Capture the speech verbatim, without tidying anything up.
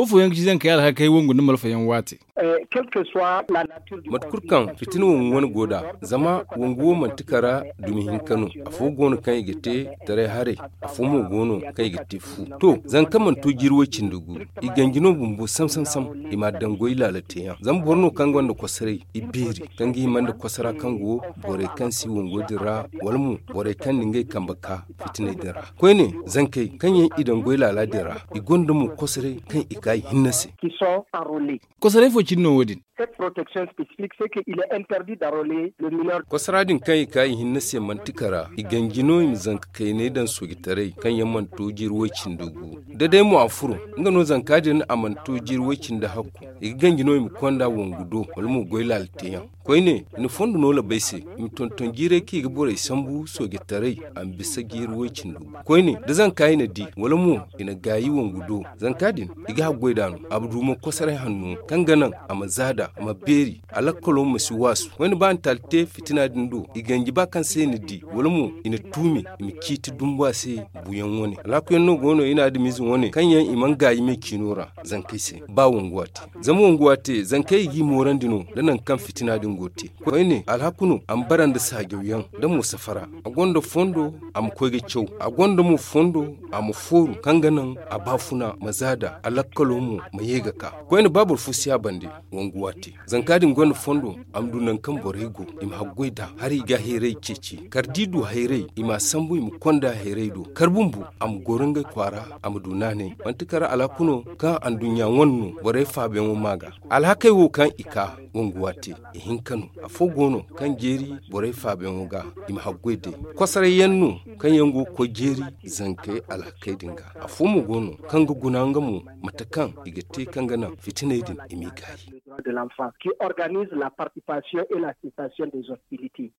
Afooyaŋ ga ci zankey alhakey wangu nda malfayaŋ waate. Mate kulu kaŋ fitina wangu wane go nd'a, zama wangu wo manti kara dumi hinka no. Afo go no kaŋ i ga te taray haray, afo mo go no kaŋ i ga te fu. To, zanka mana to jiiri way-cindi gu, i ganji no bumbo sam sam sam. I m'a daŋ goy laala teeyaŋ, zama boro no kaŋ gonda kosoray, i beeri kaŋ ga hima nda kosora kaŋ go borey kaŋ si wango din ra, wala mo borey kaŋ na ngey kambe ka fitiney din ra. Koyne, zankey kaŋ yaŋ i daŋ goy laala din ra, i gonda mo kosoray kaŋ i ka i hinne se. Kosoray fo cine no wo- din. Kosora din kaŋ i ka i hinne se manti kara, i ganji no i ma zanka kaynay daŋ soojitaray kaŋ yaŋ mana to jiiri way-cindi gu. Da day mo a furo, nga no zanka din a mana to jiiri way-cindi hakku, i ga ganji no i ma konda wangu do, wala mo goy laala teeyaŋ. Koyne, i na fondo no labay se, i ma tonton jiiray kaŋ i ga borey sambu soojitaray, a ma bisa jiiri way-cindi gu. Koyne, da zanka i na di, wala mo i na gaayi wangu do, zanka din, i ga haggoy d'a no. A ma du mo kosoray hanno kaŋ ga naŋ a ma zaada, a ma beeri, a lakkalo ma si waasu. Wayne ba a na taali te fitina din do, i ganji ba kaŋ se i na di, wala mo i na tuumi, i ma ciiti dumbu a se. Buuyaŋ wane alhakuyaŋ no go no i na adamize wane kaŋ yaŋ i mana gaayi me ciino ra. Zankey se ba wangu waate, zama wangu waate zankey i g'i moorandi no, da nangu kaŋ fitina din go te. Koyne alhaku no a ma bara nda saajawyaŋ, da mo safara, a gonda fondo, a ma koy ga caw, a gonda mo fondo, a ma fooru kaŋ ga naŋ a baafuna ma zaada, a lakkalo mo ma ye ga ka. Koyne ba boro fo si a bande. Wangu waate, zanka din gonda fondo, a ma du nangu kaŋ borey go, i ma haggoy nd'a, haray i ga hayray ceeci. Kala da i du hayray, i m'a sambu, i ma konda hayray do. Kala bumbo, a ma goro ngey kwaara, a ma du naanay. Manti kala alhaku no kaŋ anduɲɲa wane no borey faabayaŋo maa ga. Alhakey wo kaŋ i ka wangu waate, i hinka no. Afo go no kaŋ jeeri borey faabayaŋo ga, i ma haggoy day. Kosoray yaŋ no kaŋ yaŋ go ga koy jeeri zankey alhakey din ga. Afo mo go no kaŋ ga guna nga mo, mate kaŋ i ga te kaŋ ga naŋ fitiney din i m'i gaayi. Qui organise la participation et la cessation des hostilités.